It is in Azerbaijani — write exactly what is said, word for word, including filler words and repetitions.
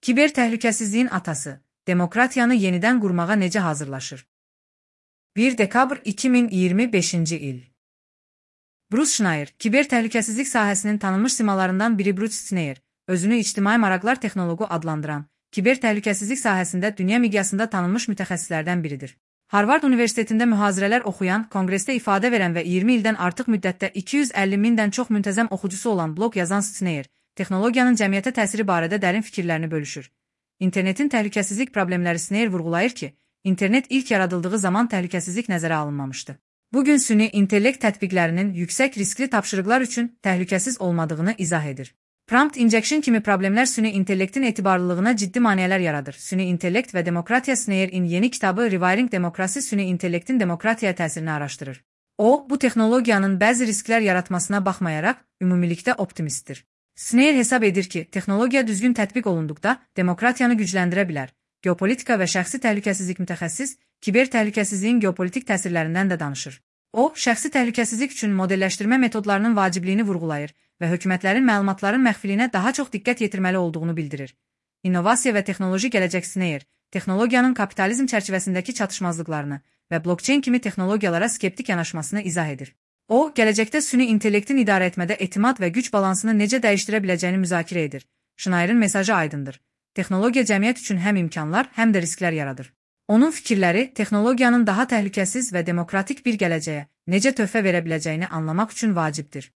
Kiber təhlükəsizliyin atası, demokratiyanı yenidən qurmağa necə hazırlaşır? bir dekabr iki min iyirmi beşinci il. Bruce Schneier, kiber təhlükəsizlik sahəsinin tanınmış simalarından biri Bruce Schneier, özünü ictimai maraqlar texnoloqu adlandıran, kiber təhlükəsizlik sahəsində dünya miqyasında tanınmış mütəxəssislərdən biridir. Harvard Universitetində mühazirələr oxuyan, konqresdə ifadə verən və iyirmi ildən artıq müddətdə iki yüz əlli mindən çox müntəzəm oxucusu olan bloq yazan Schneier, texnologiyanın cəmiyyətə təsiri barədə dərin fikirlərini bölüşür. İnternetin təhlükəsizlik problemləri Schneier vurğulayır ki, İnternet ilk yaradıldığı zaman təhlükəsizlik nəzərə alınmamışdı. Bugün süni intellekt tətbiqlərinin yüksək riskli tapşırıqlar üçün təhlükəsiz olmadığını izah edir. Prompt injection kimi problemlər süni intellektin etibarlılığına ciddi maneələr yaradır. Süni intellekt və demokratiya Schneyer'in yeni kitabı Rewiring Democracy süni intellektin demokratiyaya təsirini araşdırır. O, bu texnologiyanın bəzi risklər yaratmasına baxmayaraq, ümumilikdə optimistdir. Schneier hesab edir ki, texnologiya düzgün tətbiq olunduqda demokratiyanı gücləndirə bilər. Geopolitika və şəxsi təhlükəsizlik mütəxəssis, kiber təhlükəsizliyin geopolitik təsirlərindən də danışır. O, şəxsi təhlükəsizlik üçün modelləşdirmə metodlarının vacibliyini vurğulayır və hökumətlərin məlumatların məxfiliyinə daha çox diqqət yetirməli olduğunu bildirir. İnnovasiya və texnoloji gələcək Schneier, texnologiyanın kapitalizm çərçivəsindəki çatışmazlıqlarını və blockchain kimi texnologiyalara skeptik yanaşmasını izah edir. O, gələcəkdə süni intellektin idarə etmədə etimad və güc balansını necə dəyişdirə biləcəyini müzakirə edir. Schneyer'in mesajı aydındır. Texnologiya cəmiyyət üçün həm imkanlar, həm də risklər yaradır. Onun fikirləri texnologiyanın daha təhlükəsiz və demokratik bir gələcəyə necə töhfə verə biləcəyini anlamaq üçün vacibdir.